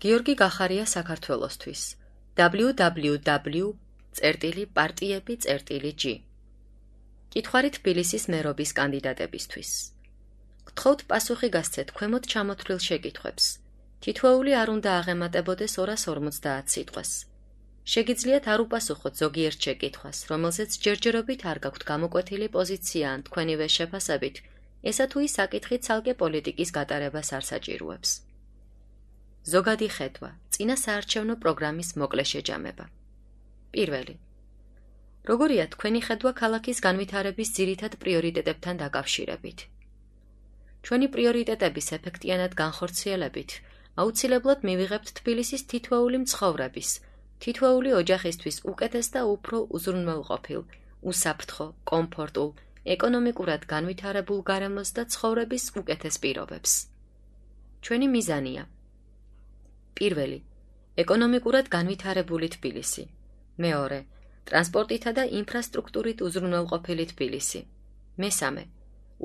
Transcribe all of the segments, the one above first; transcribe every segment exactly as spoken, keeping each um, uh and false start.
გიორგი გახარია საქართველოსთვის დაბლიუ დაბლიუ დაბლიუ წერტილი პარტიები წერტილი ჯი კითხვარი თბილისის მერობის კანდიდატებისთვის. გთხოვთ პასუხი გასცეთ ქვემოთ ჩამოთვლილ შეკითხვებს. თითოეული არ უნდა აღემატებოდეს ორას ორმოცდაათ სიტყვას. შეგიძლიათ არ უპასუხოთ ზოგიერთ შეკითხვას, რომელზეც ჯერჯერობით არ გაქვთ გამოკვეთილი პოზიცია ან თქვენივე შეფასებით, ესა თუ ის საკითხი ცალკე პოლიტიკის გატარებას არ საჭიროებს. ზოგადი ხედვა, წინა საარჩევნო პროგრამის მოკლე შეჯამება. პირველი. როგორია თქვენი ხედვა ქალაქის განვითარების ძირითად პრიორიტეტებთან დაკავშირებით? ჩვენი პრიორიტეტების ეფექტიანად განხორციელებით, აუცილებლად მივიღებთ თბილისის თითოეული მცხოვრების, თითოეული ოჯახისთვის უკეთეს და უფრო უზრუნველყოფილ, უსაფრთხო, კომფორტულ, ეკონომიკურად განვითარებულ გარემოს და ცხოვრების უკეთეს პირობებს. ჩვენი მიზანია. პირველი, ეკონომიკურად განვითარებული თბილისი. მეორე, ტრანსპორტითა და ინფრასტრუქტურით უზრუნველყოფილი თბილისი. მესამე,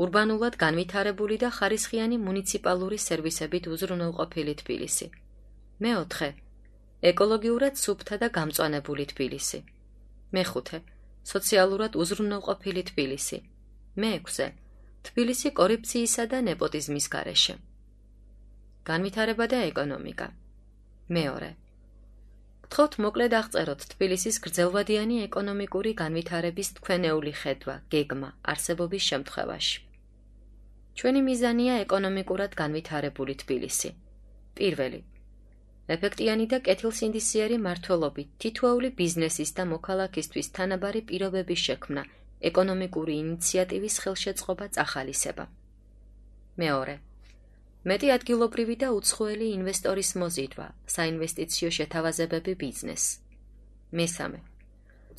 ურბანულად განვითარებული და ხარისხიანი მუნიციპალური სერვისებით უზრუნველყოფილი თბილისი. მეოთხე, ეკოლოგიურად სუფთა და გამწვანებული თბილისი. მეხუთე, სოციალურად უზრუნველყოფილი თბილისი. მეექვსე, თბილისი კორუფციისა და ნეპოტიზმის გარეშე. განვითარება და ეკონომიკა. მეორე. გთხოვთ მოკლედ აღწეროთ თბილისის გრძელვადიანი ეკონომიკური განვითარების თქვენეული ხედვა, გეგმა, არსებობის შემთხვევაში. ჩვენი მიზანია ეკონომიკურად განვითარებული თბილისი. პირველი. ეფექტიანი და კეთილსინდისიერი მმართველობით თითოეული ბიზნესის და მოქალაქისთვის თანაბარი პირობების შექმნა, ეკონომიკური ინიციატივის ხელშეწყობა წახალისება. მეორე. მეტი ადგილობრივი და უცხოელი ინვესტორის მოზიდვა, საინვესტიციო შეთავაზებები ბიზნეს. მესამე.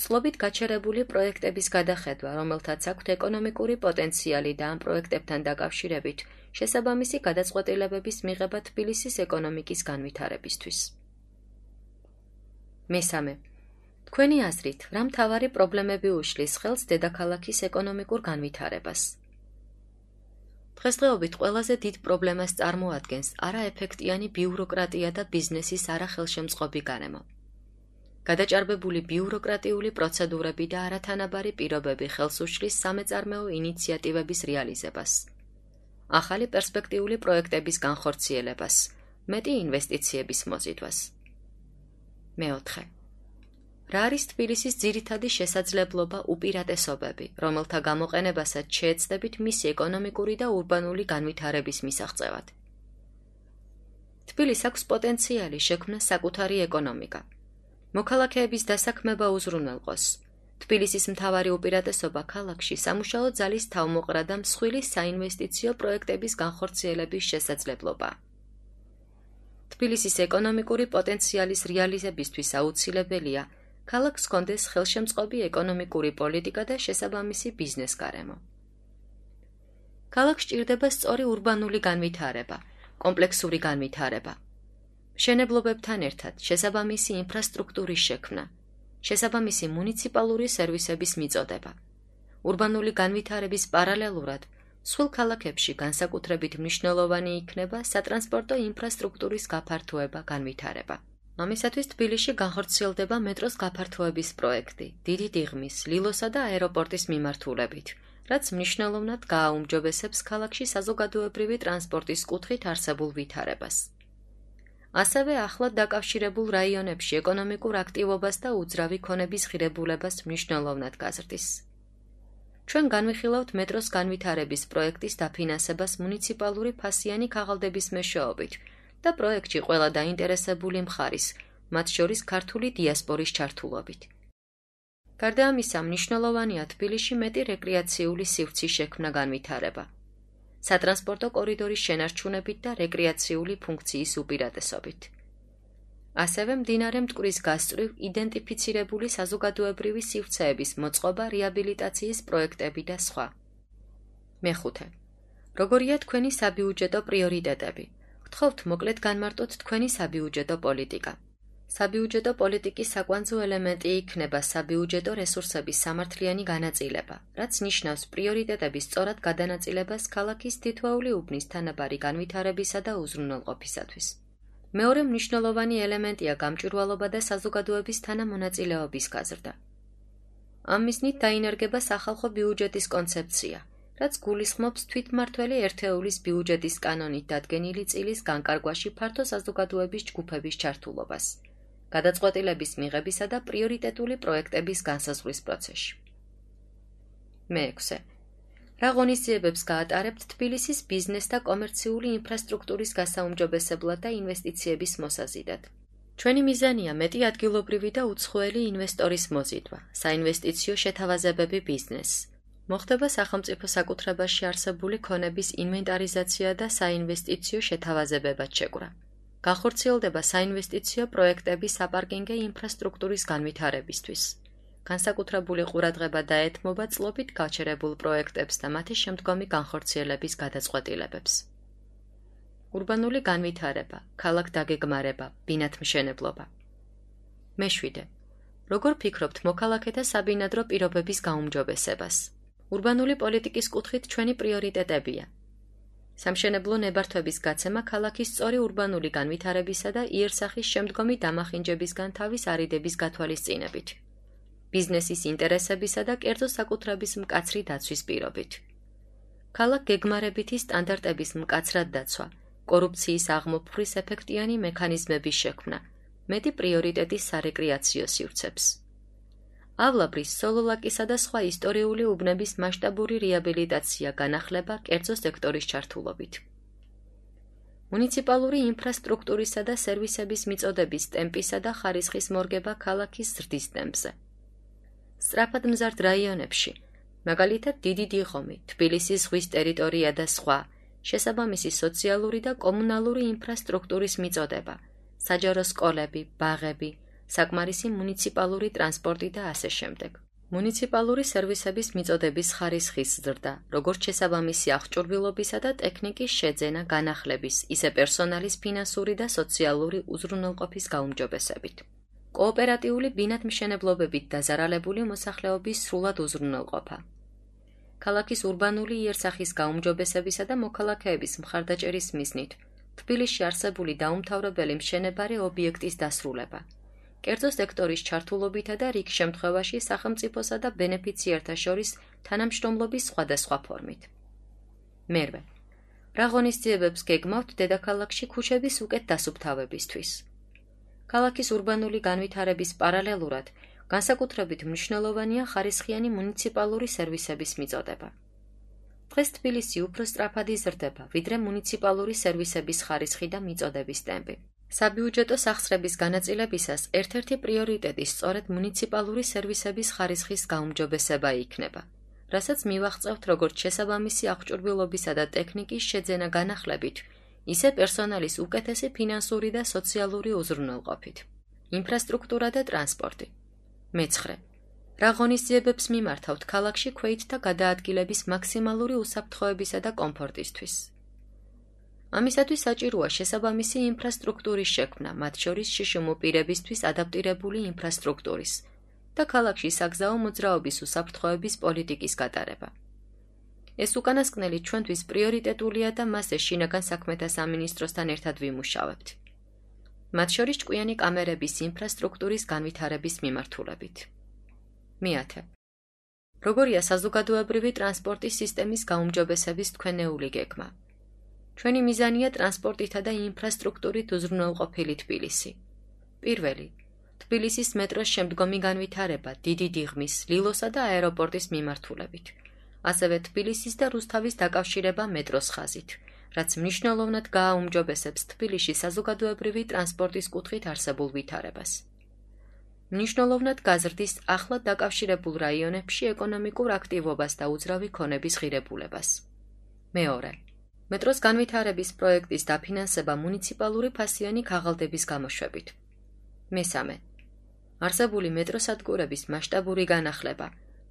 წლობით გაჩერებული პროექტების გადახედვა, რომელთაც აქვთ ეკონომიკური პოტენციალი და ამ პროექტებთან დაკავშირებით შესაბამისი გადაწყვეტილებების მიღება თბილისის ეკონომიკის განვითარებისთვის. მესამე. თქვენი აზრით, რა მთავარი პრობლემები უშლის ხელს დედაქალაქის ეკონომიკურ განვითარებას? დღესდღეობით ყველაზე დიდ პრობლემას წარმოადგენს არაეფექტიანი ბიუროკრატია და ბიზნესის არახელშემწყობი გარემო. გადაჭარბებული ბიუროკრატიული პროცედურები და არათანაბარი პირობები ხელს უშლის სამეწარმეო ინიციატივების რეალიზებას, ახალი პერსპექტიული პროექტების განხორციელებას, მეტი ინვესტიციების მოზიდვას. მეოთხე. რა არის თბილისის ძირითადი შესაძლებლობა უპირატესობები, რომელთა გამოყენებასაც შეეცდებით მისი ეკონომიკური და ურბანული განვითარების მისაღწევად? თბილისს აქვს პოტენციალი შექმნა საკუთარი ეკონომიკა. მოქალაქეების დასაქმება უზრუნველყოს. თბილისის მთავარი უპირატესობა ქალაქში სამუშაო ძალის თავმოყრა და მსხვილი საინვესტიციო პროექტების განხორციელების შესაძლებლობაა. თბილისის ეკონომიკური პოტენციალის რეალიზებისთვის აუცილებელია ქალაქს ჰქონდეს ხელშემწყობი ეკონომიკური პოლიტიკა და შესაბამისი ბიზნეს გარემო. ქალაქს სჭირდება სწორი ურბანული განვითარება, კომპლექსური განვითარება. მშენებლობებთან ერთად შესაბამისი ინფრასტრუქტურის შექმნა, შესაბამისი მუნიციპალური სერვისების მიწოდება. ურბანული განვითარების პარალელურად მსხვილ ქალაქებში განსაკუთრებით მნიშვნელოვანი იქნება სატრანსპორტო ინფრასტრუქტურის გაფართოება, განვითარება. ამისათვის თბილისში განხორციელდება მეტროს გაფართოების პროექტი, დიდი დიღმის, ლილოსა და აეროპორტის მიმართულებით, რაც მნიშვნელოვნად გააუმჯობესებს ქალაქში საზოგადოებრივი ტრანსპორტის კუთხით არსებულ ვითარებას. ასევე ახლად დაკავშირებულ რაიონებში ეკონომიკურ აქტივობას და უძრავი ქონების ღირებულებას მნიშვნელოვნად გაზრდის. ჩვენ განვიხილავთ მეტროს განვითარების პროექტის დაფინანსებას მუნიციპალური ფასიანი ქაღალდების მეშვეობით და პროექტში ყველა დაინტერესებული მხარის, მათ შორის ქართული დიასპორის ჩართულობით. გარდა ამისა, მნიშვნელოვანია თბილისში მეტი რეკრეაციული სივრცის შექმნა, განვითარება, სატრანსპორტო კორიდორის შენარჩუნებით და რეკრეაციული ფუნქციის უპირატესობით. ასევე მდინარე მტკვრის გასწვრივ იდენტიფიცირებული საზოგადოებრივი სივრცეების მოწყობა, რეაბილიტაციის პროექტები და სხვა. მეხუთე. როგორია თქვენი საბიუჯეტო პრიორიტეტები? გთხოვთ მოკლედ განმარტოთ თქვენი საბიუჯეტო პოლიტიკა. საბიუჯეტო პოლიტიკის საკვანძო ელემენტი იქნება საბიუჯეტო რესურსების სამართლიანი განაწილება, რაც ნიშნავს პრიორიტეტების სწორად გადანაწილებას ქალაქის თითოეული უბნის თანაბარი განვითარებისა და უზრუნველყოფისათვის. მეორე მნიშვნელოვანი ელემენტია გამჭვირვალობა და საზოგადოების თანამონაწილეობის გაზრდა. ამ მიზნით დაინერგება სახალხო ბიუჯეტის კონცეფცია, რაც გულისხმობს თვითმმართველი ერთეულის ბიუჯეტის კანონით დადგენილი წილის განკარგვაში ფართო საზოგადოების ჯგუფების ჩართულობას, გადაწყვეტილების მიღებისა და პრიორიტეტული პროექტების განსაზღვრის პროცესში. მეექვსე. რა ღონისძიებებს გაატარებთ თბილისის ბიზნეს და კომერციული ინფრასტრუქტურის გასაუმჯობესებლად და ინვესტიციების მოსაზიდად? ჩვენი მიზანია მეტი ადგილობრივი და უცხოელი ინვესტორის მოზიდვა, საინვესტიციო შეთავაზებები ბიზნესს. მოხდება სახელმწიფო საკუთრებაში არსებული ქონების ინვენტარიზაცია და საინვესტიციო შეთავაზებებად შეკვრა. განხორციელდება საინვესტიციო პროექტები საპარკინგე ინფრასტრუქტურის განვითარებისთვის. განსაკუთრებული ყურადღება დაეთმობა წლობით გაჩერებულ პროექტებს და მათი შემდგომი განხორციელების გადაწყვეტილებებს. ურბანული განვითარება, ქალაქ დაგეგმარება, ბინათმშენებლობა. მეშვიდე. როგორ ფიქრობთ მოქალაქეთა საბინადრო პირობების გაუმჯობესებას? ურბანული პოლიტიკის კუთხით ჩვენი პრიორიტეტებია. სამშენებლო ნებართვების გაცემა ქალაქის სწორი ურბანული განვითარებისა და იერსახის შემდგომი დამახინჯებისგან თავის არიდების გათვალისწინებით. ბიზნესის ინტერესებისა და კერძო საკუთრების მკაცრი დაცვის პირობით. ქალაქ გეგმარებითი სტანდარტების მკაცრად დაცვა, კორუფციის აღმოფხვრის ეფექტიანი მექანიზმების შექმნა, მეტი პრიორიტეტის სარეკრეაციო სივრცებს. ავლაბრის, სოლოლაკისა და სხვა ისტორიული უბნების მასშტაბური რეაბილიტაცია განახლება კერძო სექტორის ჩართულობით. მუნიციპალური ინფრასტრუქტურისა და სერვისების მიწოდების ტემპისა და ხარისხის მორგება ქალაქის ზრდის ტემპზე. სწრაფად მზარდ რაიონებში, მაგალითად დიდი დიღომი, თბილისის ზღვის ტერიტორია და სხვა, შესაბამისი სოციალური და კომუნალური ინფრასტრუქტურის მიწოდება, საჯარო სკოლები, ბაღები, საკმარისი მუნიციპალური ტრანსპორტი და ასე შემდეგ. მუნიციპალური სერვისების მიწოდების ხარისხის ზრდა, როგორც შესაბამისი აღჭურვილობისა და ტექნიკის შეძენა განახლების, ისე პერსონალის ფინანსური და სოციალური უზრუნველყოფის გაუმჯობესებით. კოოპერატიული ბინათმშენებლობებით დაზარალებული მოსახლეობის სრულად უზრუნველყოფა. ქალაქის ურბანული იერსახის გაუმჯობესებისა და მოქალაქეების მხარდაჭერის მიზნით თბილისში არსებული დაუმთავრებელი მშენებარე ობიექტის დასრულება. კერძო სექტორის ჩართულობითა და რიგ შემთხვევაში სახელმწიფოსა და ბენეფიციართა შორის თანამშრომლობის სხვადასხვა ფორმით. მერვე. რა ღონისძიებებს გეგმავთ დედაქალაქში ქუჩების უკეთ დასუფთავებისთვის? ქალაქის ურბანული განვითარების პარალელურად განსაკუთრებით მნიშვნელოვანია ხარისხიანი მუნიციპალური სერვისების მიწოდება. დღეს თბილისი უფრო სწრაფად იზრდება, ვიდრე მუნიციპალური სერვისების ხარისხი და მიწოდების ტემპი. საბიუჯეტო სახსრების განაწილებისას ერთ-ერთი პრიორიტეტი სწორედ მუნიციპალური სერვისების ხარისხის გაუმჯობესება იქნება, რასაც მივაღწევთ როგორც შესაბამისი აღჭურვილობისა და ტექნიკის შეძენა განახლებით, ისე პერსონალის უკეთესი ფინანსური და სოციალური უზრუნველყოფით. ინფრასტრუქტურა და ტრანსპორტი. მეცხრე. რა ღონისძიებებს მიმართავთ ქალაქში ქვეითთა გადაადგილების მაქსიმალური უსაფრთხოებისა და კომფორტისთვის? ამისათვის საჭიროა შესაბამისი ინფრასტრუქტურის შექმნა, მათ შორის შიშიმუ პირებისთვის ადაპტირებული ინფრასტრუქტურის და ქალაქში საგზაო მოძრაობის უსაფრთხოების პოლიტიკის გატარება. ეს უკანასკნელი ჩვენთვის პრიორიტეტულია და მასზე შინაგან საქმეთა სამინისტროსთან ერთად ვიმუშავებთ. მათ შორის ჭკვიანი კამერების ინფრასტრუქტურის განვითარების მიმართულებით. მეათე. როგორია საზოგადოებრივი ტრანსპორტის სისტემის გაუმჯობესების თქვენეული გეგმა? ჩვენი მიზანია ტრანსპორტითა და ინფრასტრუქტურით უზრუნველყოფილი თბილისი. პირველი. თბილისის მეტროს შემდგომი განვითარება დიდი დიღმის, ლილოსა და აეროპორტის მიმართულებით. ასევე თბილისის და რუსთავის დაკავშირება მეტროს ხაზით, რაც მნიშვნელოვნად გააუმჯობესებს თბილისში საზოგადოებრივი ტრანსპორტის კუთხით არსებულ ვითარებას. მნიშვნელოვნად გაზრდის ახლად დაკავშირებულ რაიონებში ეკონომიკურ აქტივობას და უძრავი ქონების ღირებულებას. მეორე. მეტროს განვითარების პროექტის დაფინანსება მუნიციპალური ფასიანი ქაღალდების გამოშვებით. მესამე. არსებული მეტროსადგურების მასშტაბური განახლება,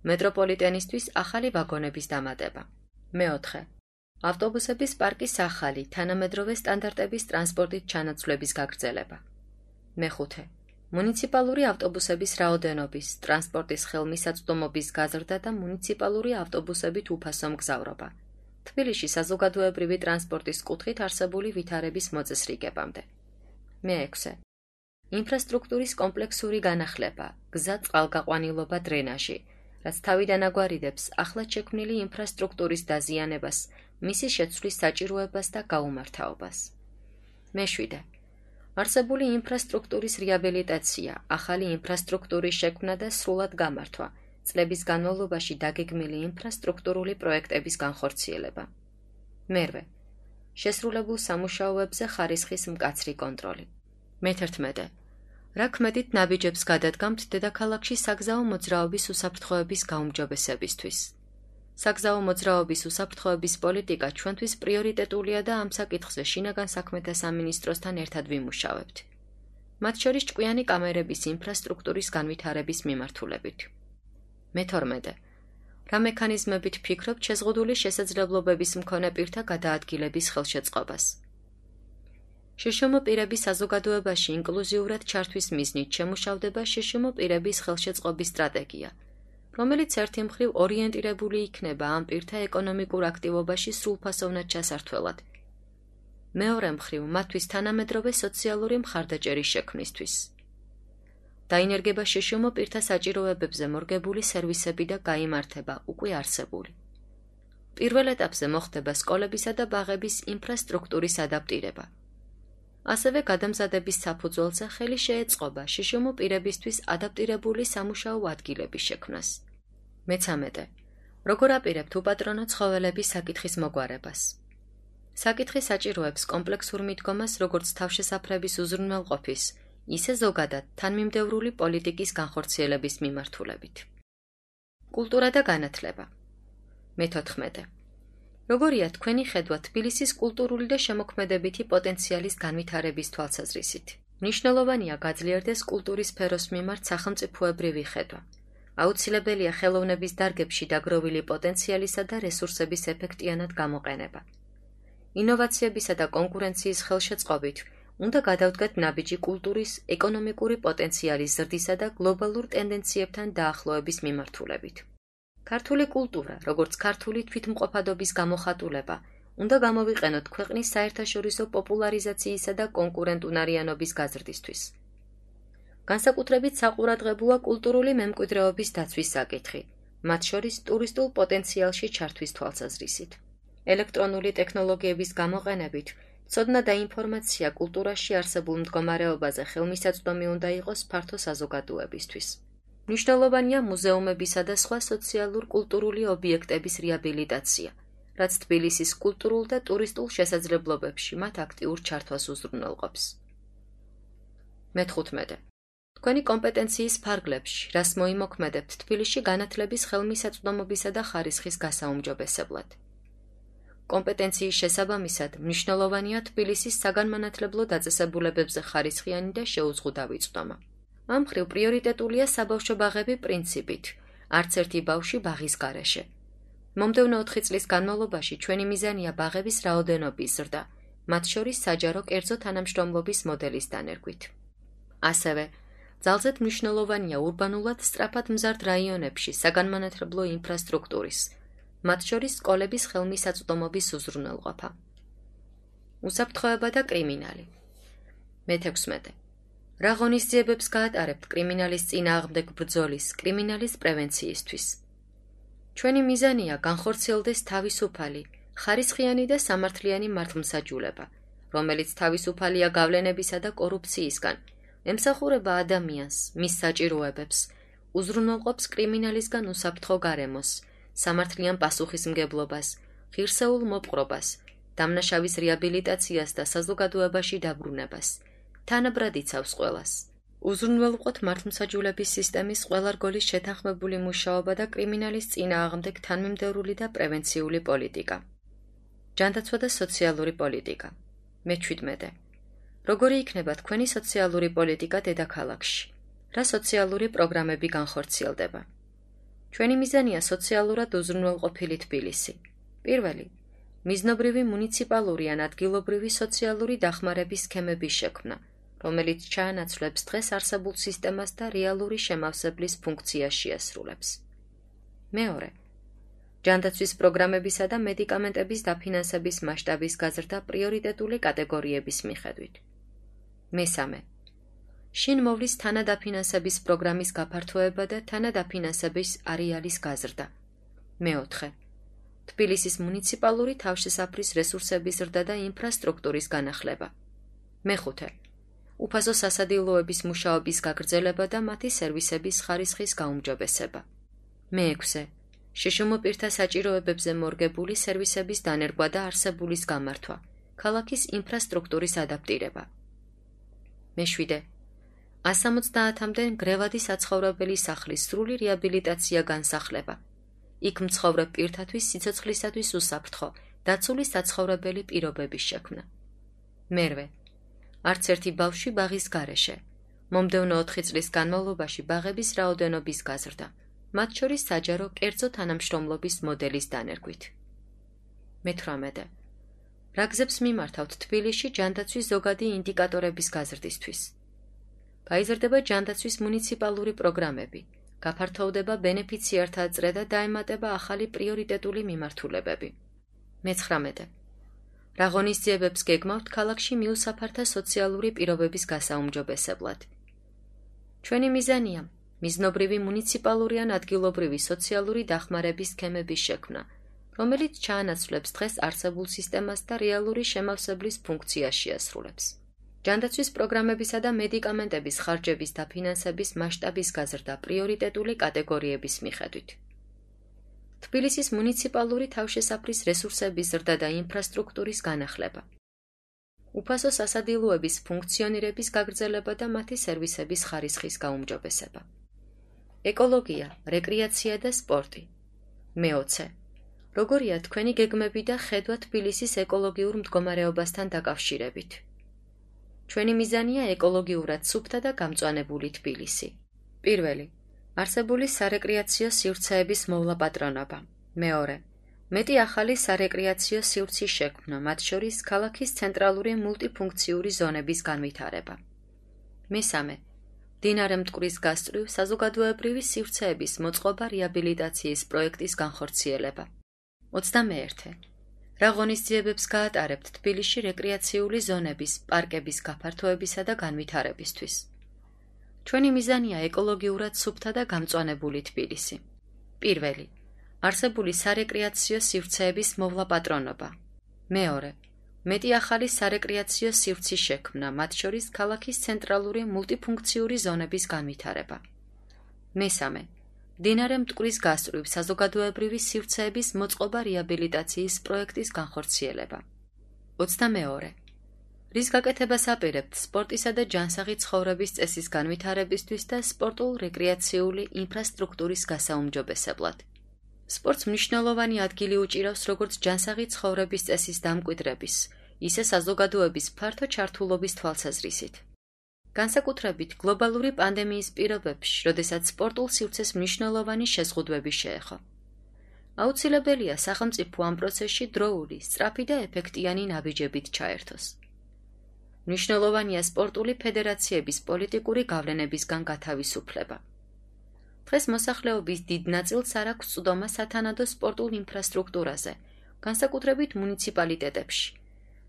მეტროპოლიტენისთვის ახალი ვაგონების დამატება. მეოთხე. ავტობუსების პარკის ახალი, თანამედროვე სტანდარტების ტრანსპორტით ჩანაცვლების გაგრძელება. მეხუთე. მუნიციპალური ავტობუსების რაოდენობის, ტრანსპორტის ხელმისაწვდომობის გაზრდა და მუნიციპალური ავტობუსებით უფასო მგზავრობა. თბილისში საზოგადოებრივი ტრანსპორტის კუთხით არსებული ვითარების მოწესრიგებამდე. მეექვსე. ინფრასტრუქტურის კომპლექსური განახლება, გზა, წყალგაყვანილობა, დრენაჟი, რაც თავიდან აგვარიდებს ახლად შექმნილი ინფრასტრუქტურის დაზიანებას, მისი შეცვლის საჭიროებას და გაუმართავობას. მეშვიდე. არსებული ინფრასტრუქტურის რეაბილიტაცია, ახალი ინფრასტრუქტურის შექმნა და სრულად გამართვა, წლების განმავლობაში დაგეგმილი ინფრასტრუქტურული პროექტების განხორციელება. მერვე. შესრულებულ სამუშაოებზე ხარისხის მკაცრი კონტროლი. მეთერთმეტე. რა ქმედით ნაბიჯებს გადადგამთ დედაქალაქში საგზაო მოძრაობის უსაფრთხოების გაუმჯობესებისთვის. საგზაო მოძრაობის უსაფრთხოების პოლიტიკა ჩვენთვის პრიორიტეტულია და ამ საკითხზე შინაგან საქმეთა სამინისტროსთან ერთად ვიმუშავებთ. მათ შორის ჭკვიანი კამერების ინფრასტრუქტურის განვითარების მიმართულებით. მეთორმეტე. რა მექანიზმებით ფიქრობთ შეზღუდული შესაძლებლობების მქონე პირთა გადაადგილების ხელშეწყობას. შშმ პირების საზოგადოებაში ინკლუზიურად ჩართვის მიზნით შემუშავდება შშმ პირების ხელშეწყობის სტრატეგია, რომელიც ერთი მხრივ ორიენტირებული იქნება ამ პირთა ეკონომიკურ აქტივობაში სრულფასოვნად ჩასართველად. მეორე მხრივ მათთვის თანამედროვე სოციალური მხარდაჭერის შექმნისთვის. დაინერგება შშმ პირთა საჭიროებებზე მორგებული სერვისები და გაიმართება უკვე არსებული. პირველ ეტაპზე მოხდება სკოლებისა და ბაღების ინფრასტრუქტურის ადაპტირება. ასევე გადამზადების საფუძველზე ხელი შეეწყობა შშმ პირებისთვის ადაპტირებული სამუშაო ადგილების შექმნას. მეცამეტე. როგორ აპირებთ უპატრონო ცხოველების საკითხის მოგვარებას. საკითხი საჭიროებს კომპლექსურ მიდგომას როგორც თავშესაფრების უზრუნველყოფის, ისე ზოგადად თანმიმდევრული პოლიტიკის განხორციელების მიმართულებით. კულტურა და განათლება. მეთოთხმეტე. როგორია თქვენი ხედვა თბილისის კულტურული და შემოქმედებითი პოტენციალის განვითარების თვალსაზრისით? მნიშვნელოვანია გაძლიერდეს კულტურის სფეროს მიმართ სახელმწიფოებრივი ხედვა. აუცილებელია ხელოვნების დარგებში დაგროვილი პოტენციალისა და რესურსების ეფექტიანად გამოყენება. ინოვაციებისა და კონკურენციის ხელშეწყობით უნდა გადავდგეთ ნაბიჯი კულტურის ეკონომიკური პოტენციალის ზრდისა და გლობალურ ტენდენციებთან დაახლოების მიმართულებით. ქართული კულტურა, როგორც ქართული თვითმყოფადობის გამოხატულება, უნდა გამოვიყენოთ ქვეყნის საერთაშორისო პოპულარიზაციისა და კონკურენტუნარიანობის გაზრდისთვის. განსაკუთრებით საყურადღებოა კულტურული მემკვიდრეობის დაცვის საკითხი, მათ შორის ტურისტულ პოტენციალში ჩართვის თვალსაზრისით. ელექტრონული ტექნოლოგიების გამოყენებით ცოდნა და ინფორმაცია კულტურაში არსებულ მდგომარეობაზე ხელმისაწვდომი უნდა იყოს ფართო საზოგადოებისთვის. მნიშვნელოვანია მუზეუმებისა და სხვა სოციალურ-კულტურული ობიექტების რეაბილიტაცია, რაც თბილისის კულტურულ და ტურისტულ შესაძლებლობებში მათ აქტიურ ჩართვას უზრუნველყოფს. მეთხუთმეტე. თქვენი კომპეტენციის ფარგლებში, რას მოიმოქმედებთ თბილისში განათლების ხელმისაწვდომობისა და ხარისხის გასაუმჯობესებლად. კომპეტენციის შესაბამისად მნიშვნელოვანია თბილისის საგანმანათლებლო დაწესებულებებზე ხარისხიანი და შეუზღუდავი წვდომა. ამ მხრივ პრიორიტეტულია საბავშვო ბაღები პრინციპით, არც ერთი ბავშვი ბაღის გარეშე. მომდევნო ოთხი წლის განმავლობაში ჩვენი მიზანია ბაღების რაოდენობის ზრდა, მათ შორის საჯარო კერძო თანამშრომლობის მოდელის დანერგვით. ასევე, ძალზედ მნიშვნელოვანია ურბანულად სწრაფად მზარდ რაიონებში საგანმანათლებლო ინფრასტრუქტურის, მათ შორის სკოლების ხელმისაწვდომობის უზრუნველყოფა. უსაფრთხოება და კრიმინალი. მეთექვსმეტე. რა ღონისძიებებს გაატარებთ კრიმინალის წინააღმდეგ ბრძოლის, კრიმინალის პრევენციისთვის? ჩვენი მიზანია განხორციელდეს თავისუფალი, ხარისხიანი და სამართლიანი მართლმსაჯულება, რომელიც თავისუფალია გავლენებისა და კორუფციისგან, ემსახურება ადამიანს, მის საჭიროებებს, უზრუნველყოფს კრიმინალისგან უსაფრთხო გარემოს, სამართლიან პასუხისმგებლობას, ღირსეულ მოპყრობას, დამნაშავის რეაბილიტაციას და საზოგადოებაში დაბრუნებას. თანაბრად იცავს ყველას. უზრუნველყოთ მართლმსაჯულების სისტემის ყველა რგოლის შეთანხმებული მუშაობა და კრიმინალის წინააღმდეგ თანმიმდევრული და პრევენციული პოლიტიკა. ჯანდაცვა და სოციალური პოლიტიკა. მეჩვიდმეტე. როგორი იქნება თქვენი სოციალური პოლიტიკა დედაქალაქში? რა სოციალური პროგრამები განხორციელდება? ჩვენი მიზანია სოციალურად უზრუნველყოფილი თბილისი. პირველი, მიზნობრივი მუნიციპალური ან ადგილობრივი სოციალური დახმარების სქემების შექმნა, რომელიც ჩაანაცვლებს დღეს არსებულ სისტემას და რეალური შემავსებლის ფუნქციას შეასრულებს. მეორე, ჯანდაცვის პროგრამებისა და მედიკამენტების დაფინანსების მასშტაბის გაზრდა პრიორიტეტული კატეგორიების მიხედვით. მესამე. შინ მოვლის თანადაფინანსების პროგრამის გაფართოება და თანადაფინანსების არეალის გაზრდა. მეოთხე. თბილისის მუნიციპალური თავშესაფრის რესურსების ზრდა და ინფრასტრუქტურის განახლება. მეხუთე. უფასო სასადილოების მუშაობის გაგრძელება და მათი სერვისების ხარისხის გაუმჯობესება. მეექვსე. შშმ პირთა საჭიროებებზე მორგებული სერვისების დანერგვა და არსებულის გამართვა, ქალაქის ინფრასტრუქტურის ადაპტირება. მეშვიდე. ასამოცდაათამდე მგრევადი საცხოვრებელი სახლის სრული რეაბილიტაცია განსახლება. იქ მცხოვრებ პირთათვის სიცოცხლისათვის უსაფრთხო, დაცული საცხოვრებელი პირობების შექმნა. მერვე. არც ერთი ბავშვი ბაღის გარეშე. მომდევნო ოთხი წლის განმავლობაში ბაღების რაოდენობის გაზრდა, მათ შორის საჯარო კერძო თანამშრომლობის მოდელის დანერგვით. მეთვრამეტე. რა გზებს მიმართავთ თბილისში ჯანდაცვის ზოგადი ინდიკატორების გაზრდისთვის? გაიზრდება ჯანდაცვის მუნიციპალური პროგრამები, გაფართოვდება ბენეფიციართა წრე და დაემატება ახალი პრიორიტეტული მიმართულებები. მეცხრამეტე. რა ღონისძიებებს გეგმავთ ქალაქში მიუსაფართა სოციალური პირობების გასაუმჯობესებლად? ჩვენი მიზანია მიზნობრივი მუნიციპალური ან ადგილობრივი სოციალური დახმარების სქემების შექმნა, რომელიც ჩაანაცვლებს დღეს არსებულ სისტემას და რეალური შემავსებლის ფუნქციას შეასრულებს. ჯანდაცვის პროგრამებისა და მედიკამენტების ხარჯების დაფინანსების მასშტაბის გაზრდა პრიორიტეტული კატეგორიების მიხედვით. თბილისის მუნიციპალური თავშესაფრის რესურსების ზრდა და ინფრასტრუქტურის განახლება. უფასო სასადილოების ფუნქციონირების გაგრძელება და მათი სერვისების ხარისხის გაუმჯობესება. ეკოლოგია, რეკრეაცია და სპორტი. მეოცე. როგორია თქვენი გეგმები და ხედვა თბილისის ეკოლოგიურ მდგომარეობასთან დაკავშირებით? ჩვენი მიზანია ეკოლოგიურად სუფთა და გამწვანებული თბილისი. პირველი. არსებული სარეკრეაციო სივრცეების მოვლაპატრონობა. მეორე. მეტი ახალი სარეკრეაციო სივრცის შექმნა, მათ შორის ქალაქის ცენტრალური მულტიფუნქციური ზონების განვითარება. მესამე. მდინარე მტკვრის გასწვრივ საზოგადოებრივი სივრცეების მოწყობა რეაბილიტაციის პროექტის განხორციელება. ოცდამეერთე. რა ღონისძიებებს გაატარებთ თბილისში რეკრეაციული ზონების, პარკების გაფართოებისა და განვითარებისთვის? ჩვენი მიზანია ეკოლოგიურად სუფთა და გამწვანებული თბილისი. პირველი. არსებული სარეკრეაციო სივრცეების მოვლაპატრონობა. მეორე. მეტი ახალი სარეკრეაციო სივრცის შექმნა, მათ შორის ქალაქის ცენტრალური მულტიფუნქციური ზონების განვითარება. მესამე. მდინარე მტკვრის გასწვრივ საზოგადოებრივი სივრცეების მოწყობა რეაბილიტაციის პროექტის განხორციელება. ოცდამეორე. რის გაკეთებას აპირებთ სპორტისა და ჯანსაღი ცხოვრების წესის განვითარებისთვის და სპორტულ-რეკრეაციული ინფრასტრუქტურის გასაუმჯობესებლად? სპორტს მნიშვნელოვანი ადგილი უჭირავს როგორც ჯანსაღი ცხოვრების წესის დამკვიდრების, ისე საზოგადოების ფართო ჩართულობის თვალსაზრისით. განსაკუთრებით გლობალური პანდემიის პირობებში, როდესაც სპორტულ სივრცეს მნიშვნელოვანი შეზღუდვები შეეხო. აუცილებელია სახელმწიფო ამ პროცესში დროული, სწრაფი და ეფექტიანი ნაბიჯებით ჩაერთოს. მნიშვნელოვანია სპორტული ფედერაციების პოლიტიკური გავლენებისგან გათავისუფლება. დღეს მოსახლეობის დიდ ნაწილს არ აქვს წვდომა სათანადო სპორტულ ინფრასტრუქტურაზე, განსაკუთრებით მუნიციპალიტეტებში.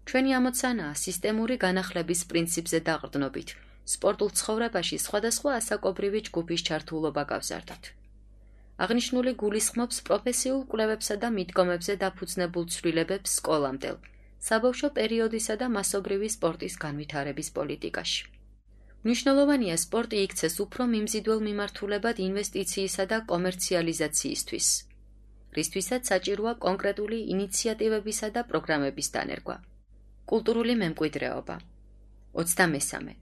ჩვენი ამოცანაა სისტემური განახლების პრინციპზე დაყრდნობით, სპორტულ ცხოვრებაში სხვადასხვა ასაკობრივი ჯგუფის ჩართულობა გავზარდოთ. აღნიშნული გულისხმობს პროფესიულ კვლევებსა და მიდგომებზე დაფუძნებულ ცვლილებებს სკოლამდელ, საბავშვო პერიოდისა და მასობრივი სპორტის განვითარების პოლიტიკაში. მნიშვნელოვანია სპორტი იქცეს უფრო მიმზიდველ მიმართულებად ინვესტიციისა და კომერციალიზაციისთვის, რისთვისაც საჭიროა კონკრეტული ინიციატივებისა და პროგრამების დანერგვა. კულტურული მემკვიდრეობა. ოცდამესამე.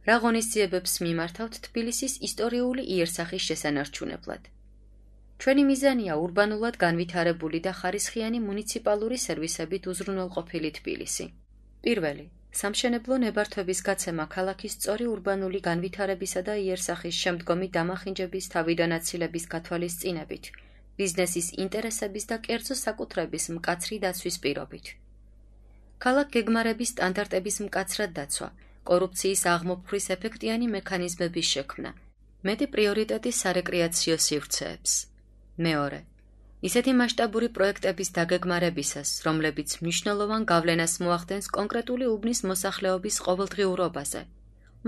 რა ღონისძიებებს მიმართავთ თბილისის ისტორიული იერსახის შესანარჩუნებლად? ჩვენი მიზანია ურბანულად განვითარებული და ხარისხიანი მუნიციპალური სერვისებით უზრუნველყოფილი თბილისი. პირველი. სამშენებლო ნებართვების გაცემა ქალაქის სწორი ურბანული განვითარებისა და იერსახის შემდგომი დამახინჯების თავიდანაცილების გათვალისწინებით, ბიზნესის ინტერესების და კერძო საკუთრების მკაცრი დაცვის პირობით. ქალაქ გეგმარების სტანდარტების მკაცრად დაცვა, კორუფციის აღმოფხვის ეფექტიანი მექანიზმების შექმნა, მეტი პრიორიტეტი სარეკრეაციო სივრცეებს. მეორე. ისეთი მასშტაბური პროექტების დაგეგმარებისას, რომლებიც მნიშვნელოვან გავლენას მოახდენს კონკრეტული უბნის მოსახლეობის ყოველდღიურობაზე,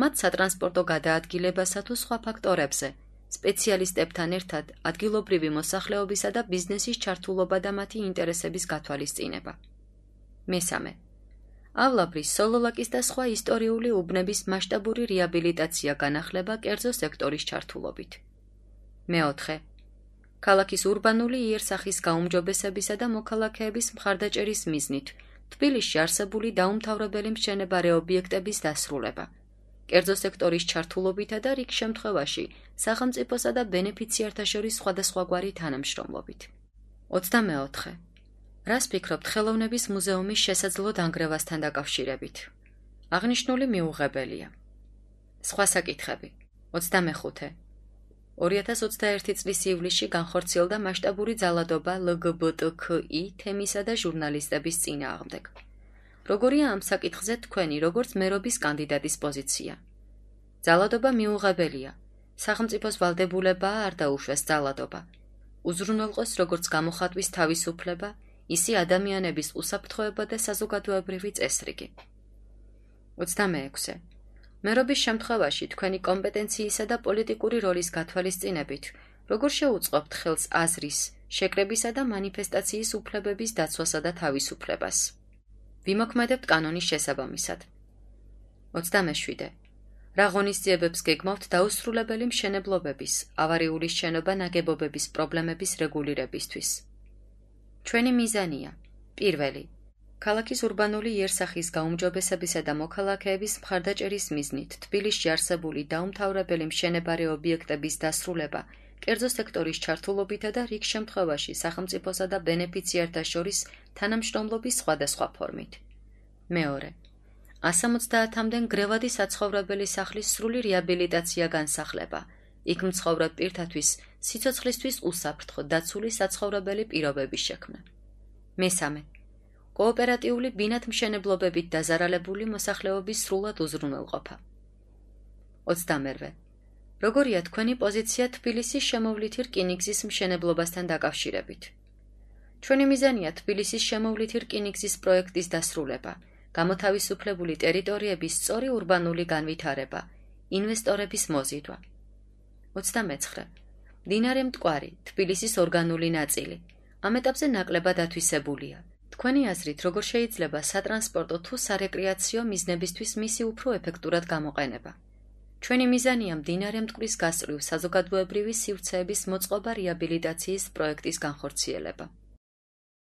მათ სატრანსპორტო გადაადგილებასა თუ სხვა ფაქტორებზე, სპეციალისტებთან ერთად ადგილობრივი მოსახლეობისა და ბიზნესის ჩართულობა და მათი ინტერესების გათვალისწინება. მესამე. ავლაბრის, სოლოლაკის და სხვა ისტორიული უბნების მასშტაბური რეაბილიტაცია განახლება კერძო სექტორის ჩართულობით. მეოთხე. ქალაქის ურბანული იერსახის გაუმჯობესებისა და მოქალაქეების მხარდაჭერის მიზნით თბილისში არსებული დაუმთავრებელი მშენებარე ობიექტების დასრულება, კერძო სექტორის ჩართულობითა და რიგ შემთხვევაში სახელმწიფოსა და ბენეფიციართა შორის სხვადასხვაგვარი თანამშრომლობით. ოცდამეოთხე. რას ფიქრობთ ხელოვნების მუზეუმის შესაძლო დანგრევასთან დაკავშირებით? აღნიშნული მიუღებელია. სხვა საკითხები. ოცდამეხუთე. ორი ათას ოცდაერთი წლის ივლისში განხორციელდა მასშტაბური ძალადობა ელ გი ბი ტი ქ ი თემისა და ჟურნალისტების წინააღმდეგ. როგორია ამ საკითხზე თქვენი, როგორც მერობის კანდიდატის პოზიცია? ძალადობა მიუღებელია. სახელმწიფოს ვალდებულებაა არ დაუშვეს ძალადობა. უზრუნველყოს როგორც გამოხატვის თავისუფლება, ისე ადამიანების უსაფრთხოება და საზოგადოებრივი წესრიგი. ოცდამეექვსე. მერობის შემთხვევაში თქვენი კომპეტენციისა და პოლიტიკური როლის გათვალისწინებით, როგორ შეუწყობთ ხელს აზრის, შეკრებისა და მანიფესტაციის უფლებების დაცვასა და თავისუფლებას? ვიმოქმედებთ კანონის შესაბამისად. ოცდამეშვიდე. რა ღონისძიებებს გეგმავთ დაუსრულებელი მშენებლობების, ავარიული შენობა ნაგებობების პრობლემების რეგულირებისთვის? ჩვენი მიზანია: პირველი, ქალაქის ურბანული იერსახის გაუმჯობესებისა და მოქალაქეების მხარდაჭერის მიზნით თბილისში არსებული დაუმთავრებელი მშენებარე ობიექტების დასრულება, კერძო სექტორის ჩართულობითა და რიგ შემთხვევაში სახელმწიფოსა და ბენეფიციართა შორის თანამშრომლობის სხვადასხვა ფორმით. მეორე, ას ოცდაათამდე ნგრევადი საცხოვრებელი სახლის სრული რეაბილიტაცია განსახლება, იქ მცხოვრებ პირთათვის სიცოცხლისთვის უსაფრთხო დაცული საცხოვრებელი პირობების შექმნა. მესამე, კოოპერატიული ბინათმშენებლობებით დაზარალებული მოსახლეობის სრულად უზრუნველყოფა. ოცდამერვე. როგორია თქვენი პოზიცია თბილისის შემოვლითი რკინიგზის მშენებლობასთან დაკავშირებით? ჩვენი მიზანია თბილისის შემოვლითი რკინიგზის პროექტის დასრულება, გამოთავისუფლებული ტერიტორიების სწორი ურბანული განვითარება, ინვესტორების მოზიდვა. ოცდამეცხრე. მდინარე მტკვარი, თბილისის ორგანული ნაწილი, ამ ეტაპზე ნაკლებად ათვისებულია. თქვენი აზრით, როგორ შეიძლება სატრანსპორტო თუ სარეკრეაციო მიზნებისთვის მისი უფრო ეფექტურად გამოყენება? ჩვენი მიზანია მდინარე მტკვრის გასწვრივ საზოგადოებრივი სივრცეების მოწყობა რეაბილიტაციის პროექტის განხორციელება.